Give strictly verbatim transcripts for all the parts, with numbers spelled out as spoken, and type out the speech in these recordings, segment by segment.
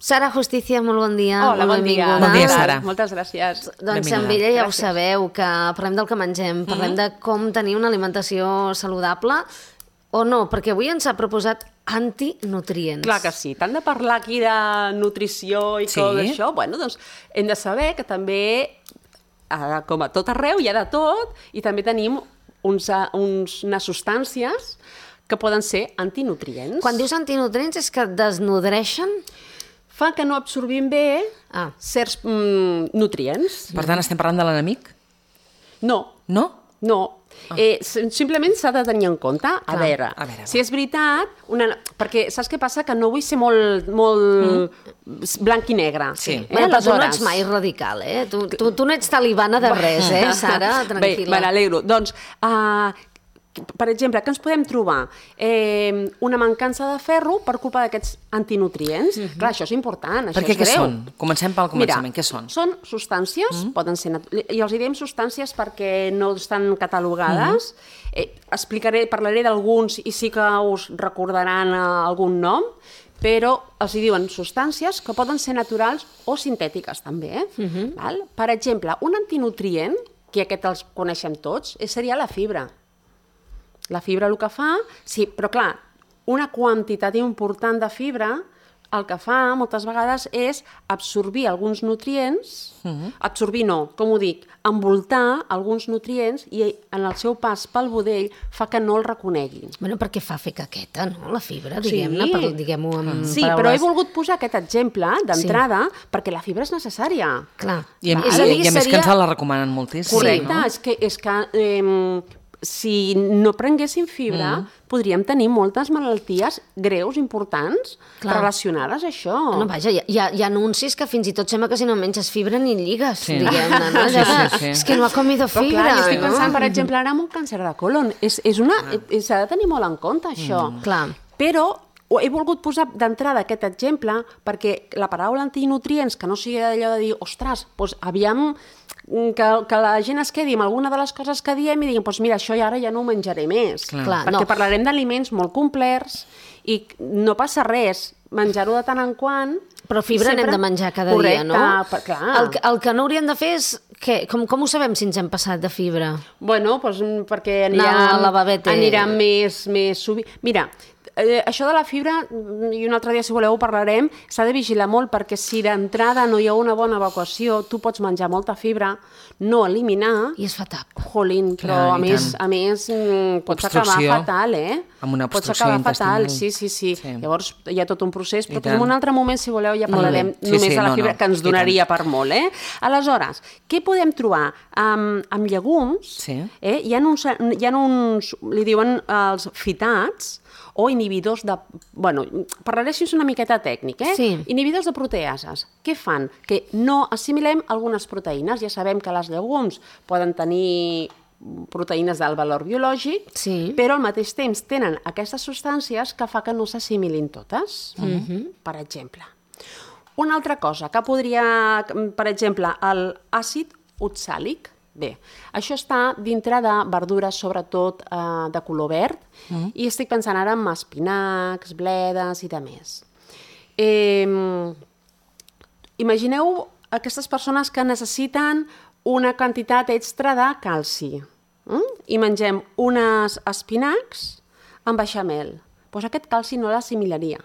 Sara Justicia, molt bon dia. Hola, bon dia. Bon dia, Sara. Moltes gràcies. Doncs amb ella ja ho sabeu, que parlem del que mengem, parlem de com tenir una alimentació saludable o no, perquè avui ens ha proposat antinutrients. Clar que sí. Tant de parlar aquí de nutrició i tot això, bueno, doncs hem de saber que també, com a tot arreu, hi ha de tot, i també tenim uns, uns, unes substàncies que poden ser antinutrients. Quan dius antinutrients és que desnodreixen? Fa que no absorbim bé ah. certs mm, nutrients. Per tant, estem parlant de l'enemic? No. No? No. Ah. Eh, simplement s'ha de tenir en compte, a, Clar, veure, a veure, si és veritat, una, perquè saps què passa? Que no vull ser molt, molt mm. blanc i negre. Sí. Eh, però tu no ets mai radical, eh? Tu, tu, tu no ets talibana de res, eh, Sara? Tranquil·la. Bé, me n'alegro. Doncs, uh, per exemple, què ens podem trobar? Eh, una mancança de ferro per culpa d'aquests antinutrients. Mm-hmm. Clar, això és important, això perquè és greu. Què són? Comencem pel començament. Mira, què són? Són substàncies, mm-hmm. poden ser... I els diem substàncies perquè no estan catalogades. Mm-hmm. Eh, explicaré, parlaré d'alguns i sí que us recordaran uh, algun nom, però els diuen substàncies que poden ser naturals o sintètiques, també. Eh? Mm-hmm. Val? Per exemple, un antinutrient, que aquest els coneixem tots, seria la fibra. La fibra el que fa... Sí, però clar, una quantitat important de fibra el que fa moltes vegades és absorbir alguns nutrients, uh-huh. absorbir no, com ho dic, envoltar alguns nutrients i en el seu pas pel budell fa que no el reconeguin. Bueno, perquè fa fer caqueta, no?, la fibra, diguem-ne, sí. per, diguem-ho amb sí, paraules... però he volgut posar aquest exemple d'entrada sí. perquè la fibra és necessària. Clar. I, i, i, i a més seria... que ens la recomanen moltíssim. Correcte, no? és que... És que eh, si no prenguéssim fibra, mm. podríem tenir moltes malalties greus, importants, Clar. relacionades a això. No, vaja, hi ha, hi ha anuncis que fins i tot sembla que si no menges fibra ni lligues, sí. diguem-ne. No? Sí, sí, sí. És que no ha comido fibra. Però clar, jo estic no? pensant, per exemple, ara en un càncer de colon. És, és una, ah. S'ha de tenir molt en compte, això. Mm. Clar. Però he volgut posar d'entrada aquest exemple perquè la paraula antinutrients, que no sigui allò de dir, ostres, doncs aviam... Que, que la gent es quedi amb alguna de les coses que diem i diguin, doncs mira, això ara ja no ho menjaré més. Clar. Perquè no. parlarem d'aliments molt complets i no passa res, menjar-ho de tant en quant... Però fibra sempre... n'hem de menjar cada Correcte, dia, no? Per, clar. El, el que no hauríem de fer és... Què? Com, com ho sabem si ens hem passat de fibra? Bueno, doncs perquè anirem, no, la babete... anirem més, més sovint. Mira, eh, això de la fibra, i un altre dia si voleu ho parlarem, s'ha de vigilar molt perquè si d'entrada no hi ha una bona evacuació, tu pots menjar molta fibra, no eliminar... I es fa tap. Jolín, però Clar, a, més, a més pots acabar fatal, eh? Amb una pots obstrucció acabar fatal, intestinal. sí, sí, sí, sí. Llavors hi ha tot un procés, però en un altre moment, si voleu, ja parlarem sí, només sí, de la no, fibra, no. que ens donaria per molt, eh? Aleshores, què podem trobar? Amb, amb llegums, sí. eh? hi, ha uns, hi ha uns, li diuen els fitats, o inhibidors de... Bueno, parlaré així una miqueta tècnic, eh? Sí. Inhibidors de proteases. Què fan? Que no assimilem algunes proteïnes. Ja sabem que les llegums poden tenir proteïnes d'alt valor biològic, sí. però al mateix temps tenen aquestes substàncies que fa que no s'assimilin totes. Mm-hmm. Per exemple. Una altra cosa que podria... Per exemple, l'àcid oxàlic. Bé, això està dintre de verdures, sobretot eh, de color verd, mm. i estic pensant ara en espinacs, bledes i de més. Eh, imagineu aquestes persones que necessiten una quantitat extra de calci mm? i mengem unes espinacs amb beixamel. Doncs aquest calci no l'assimilaria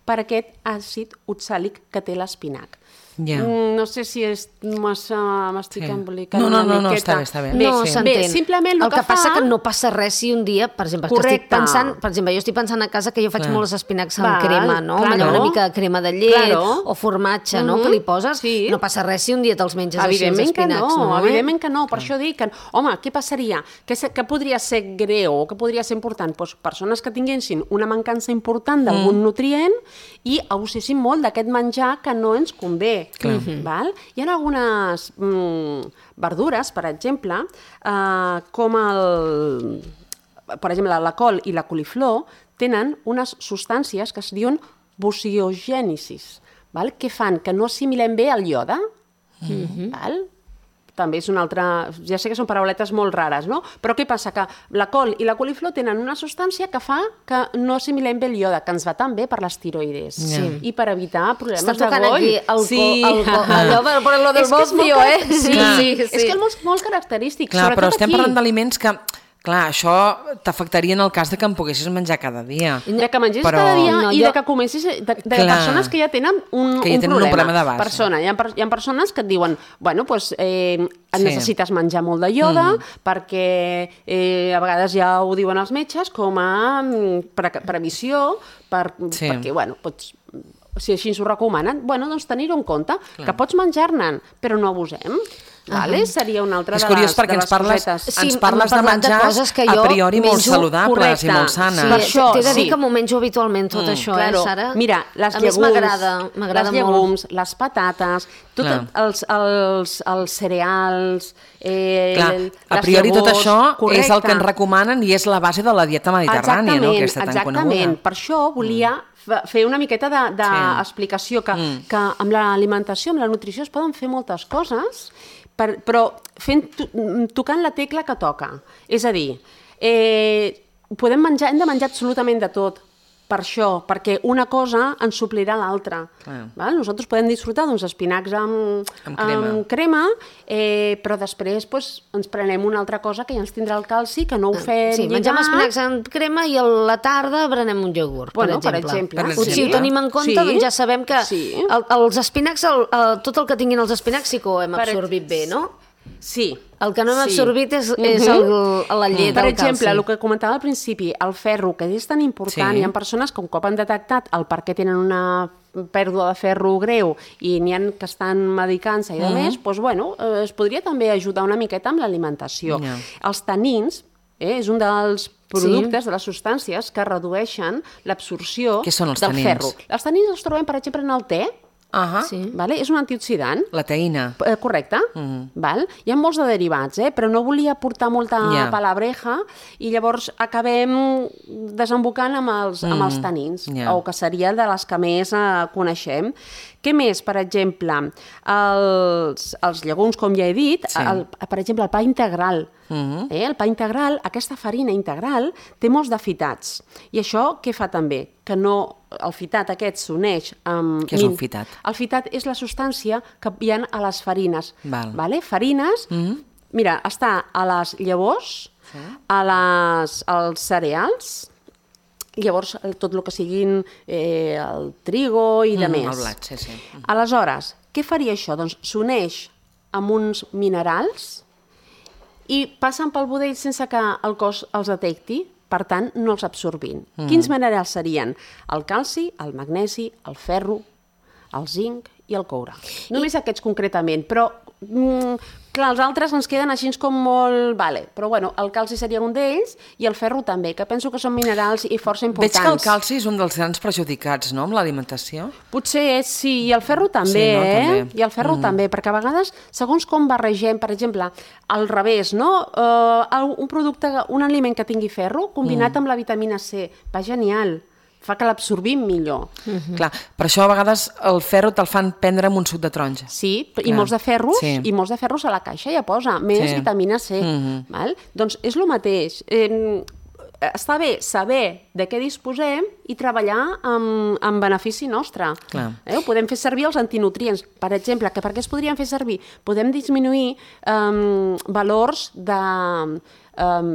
per aquest àcid oxàlic que té l'espinac. Yeah. No sé si és massa, m'estic sí. embolicant no, no, una no, miqueta. No, està bé, està bé. Bé, no, sí. s'entén. Bé, simplement el, el que, que passa fa... que no passa res si un dia, per exemple, que estic pensant, per exemple, jo estic pensant a casa que jo faig Clar. molts espinacs amb crema, no? Claro. Allò, una mica de crema de llet Claro. o formatge, no? Mm-hmm. Que li poses, sí. no passa res si un dia te'ls menges evidentment així, els espinacs, que no, no? Evidentment que no, per això dic que, home, què passaria? Què, que podria ser greu o que podria ser important? Pues persones que tinguessin una mancança important d'algun mm. nutrient i abusessin molt d'aquest menjar que no ens convé. Mm-hmm. Val? Hi ha algunes mm, verdures, per exemple, eh, com el... Per exemple, la col i la coliflor tenen unes substàncies que es diuen bociogènesis, val? Que fan que no assimilem bé el iode. Mm-hmm. Val? també és una altra... Ja sé que són parauletes molt rares, no? Però què passa? Que la col i la coliflor tenen una substància que fa que no assimilem bé el iode, que ens va tan bé per les tiroides. Sí. I per evitar problemes de goll. Està tocant aquí el, sí. el, el, allò per, per lo del bofio, eh? Sí, sí, sí. És que és molt, molt característic. Clar, però estem aquí. parlant d'aliments que... Clar, això t'afectaria en el cas de que en poguessis menjar cada dia. De que mengessis però... cada dia no, i jo... de que comencis... De, de persones que ja tenen un, que ja un tenen problema. un problema de base. Persona. Hi ha, hi ha persones que et diuen, bueno, doncs eh, sí. necessites menjar molt de iode mm. perquè eh, a vegades ja ho diuen els metges com a pre previsió, per, sí. perquè, bueno, pots... si així ens ho recomanen, bueno, doncs tenir-ho en compte, Clar. que pots menjar-ne, però no abusem. Vale? Uh-huh. Seria una altra és de les, curiós perquè de les ens parles, cosetes. ens parles de menjars de a priori molt saludables correcte. I molt sanes. Sí, per això, t'he de dir sí. que m'ho menjo habitualment tot mm, això, claro. eh, Sara? Mira, les a llegums, més m'agrada, m'agrada les llegums, molt. Les patates, tot els, els, els cereals, eh, Clar, a priori llavors, tot això correcte. És el que ens recomanen i és la base de la dieta mediterrània, no? Aquesta tan coneguda. Exactament, per això volia mm. fer una miqueta d'explicació, de, de sí. que, mm. que amb l'alimentació, amb la nutrició es poden fer moltes coses, per, però fent, tocant la tecla que toca. És a dir, eh, podem menjar, hem de menjar absolutament de tot, per això, perquè una cosa ens suplirà l'altra. Nosaltres podem disfrutar d'uns espinacs amb, amb crema, amb crema eh, però després pues, ens prenem una altra cosa que ja ens tindrà el calci, que no ho fem sí, lligar. Mengem espinacs amb crema i a la tarda berenem un iogurt, bueno, per exemple. Per exemple. Si ho tenim en compte, sí. doncs ja sabem que sí. el, els espinacs, el, el, tot el que tinguin els espinacs sí que ho hem per absorbit bé, no? Sí. El que no hem sí. absorbit és, és el, la llet per del exemple, calci. El que comentava al principi, el ferro, que és tan important, sí. hi ha persones que un cop han detectat el per què tenen una pèrdua de ferro greu i n'hi ha que estan medicant-se i de uh -huh. més, doncs, bueno, eh, es podria també ajudar una miqueta amb l'alimentació. Yeah. Els tanins, eh, és un dels productes, sí. de les substàncies que redueixen l'absorció del tanins? ferro. Els tanins els trobem, per exemple, en el te. Uh -huh. sí. vale? És un antioxidant. La teïna. Eh, correcte. Uh -huh. val? Hi ha molts de derivats, eh? però no volia portar molta yeah. palabreja i llavors acabem desembocant amb els, uh -huh. amb els tanins, yeah. o que seria de les que més eh, coneixem. Què més? Per exemple, els, els llegums, com ja he dit, sí. el, per exemple, el pa integral. Uh-huh. eh? El pa integral, aquesta farina integral, té molts de fitats. I això què fa també? Que no, el fitat aquest s'uneix amb... Què és un fitat? El fitat és la substància que hi ha a les farines. Val. Vale? Farines, uh-huh. mira, està a les llavors, sí. a les, als cereals, llavors tot el que siguin eh, el trigo i de mm, més. El blat, sí, sí. Aleshores, què faria això? Doncs s'uneix amb uns minerals i passen pel budell sense que el cos els detecti, per tant, no els absorbin. Mm. Quins minerals serien? El calci, el magnesi, el ferro, el zinc i el coure. Només I... aquests concretament, però mm, clar, els altres ens queden així com molt... Vale. Però bueno, el calci seria un d'ells i el ferro també, que penso que són minerals i força importants. Veig que el calci és un dels grans perjudicats, no?, amb l'alimentació. Potser és, sí, i el ferro també, sí, no? eh? També. I el ferro mm. també, perquè a vegades, segons com barregem, per exemple, al revés, no? Uh, un producte, un aliment que tingui ferro, combinat mm. amb la vitamina C, va genial. Fa que l'absorbim millor. Uh-huh. Clar, per això a vegades el ferro te'l fan prendre amb un suc de taronja. Sí, i molts de ferros, sí. i molts de ferros a la caixa ja posa, més sí. vitamina C. Uh-huh. Val? Doncs és el mateix. Eh, està bé saber de què disposem i treballar amb, amb benefici nostre. Eh? Podem fer servir els antinutrients. Per exemple, que per què es podrien fer servir? Podem disminuir um, valors de, um,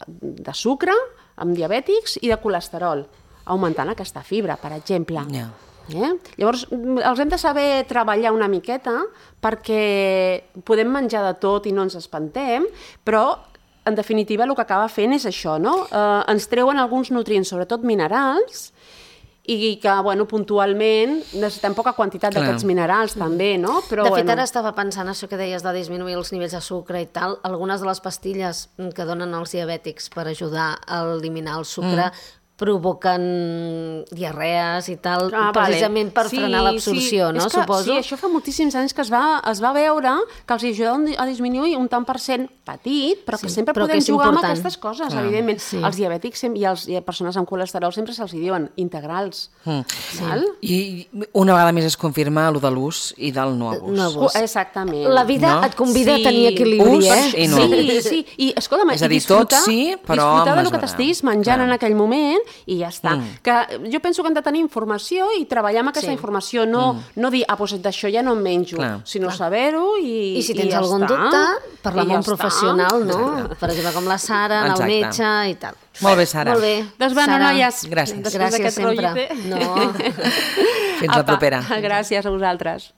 de sucre amb diabètics i de colesterol, augmentant aquesta fibra, per exemple. Yeah. Eh? Llavors, els hem de saber treballar una miqueta perquè podem menjar de tot i no ens espantem, però, en definitiva, el que acaba fent és això, no? Eh, ens treuen alguns nutrients, sobretot minerals, i que, bueno, puntualment necessitem poca quantitat d'aquests minerals, també, no? Però, de fet, bueno... ara estava pensant això que deies de disminuir els nivells de sucre i tal, algunes de les pastilles que donen als diabètics per ajudar a eliminar el sucre, mm. provoquen diarrees i tal, ah, precisament vale. per sí, frenar l'absorció, sí. no? Que, suposo. Sí, això fa moltíssims anys que es va, es va veure que els ajuda a disminuir un tant per cent petit, però que sí, sempre però podem que jugar important. amb aquestes coses, ah, evidentment. Sí. Els diabètics i els i persones amb colesterol sempre se'ls diuen integrals. Mm. Sí. I una vegada més es confirma el de l'ús i del no abús. No abús. Exactament. La vida no? et convida sí. a tenir equilibri, ús eh? I no sí, sí. I, escolta'm, és a dir, disfrutar, tot sí, però disfrutar del que t'estiguis menjant Clar. en aquell moment i ja està. Mm. Que jo penso que hem de tenir informació i treballar amb aquesta sí. informació, no, mm. no dir, ah, doncs d'això ja no em menjo, Clar. sinó Clar. saber-ho i, I si tens i ja algun està. dubte, parlar amb ja un professional, està. no? Per exemple, com la Sara, anar al metge i tal. Molt bé, Sara. Molt bé. Doncs bueno, Sara, noies, gràcies. Gràcies sempre. No. Fins la propera. Gràcies a vosaltres.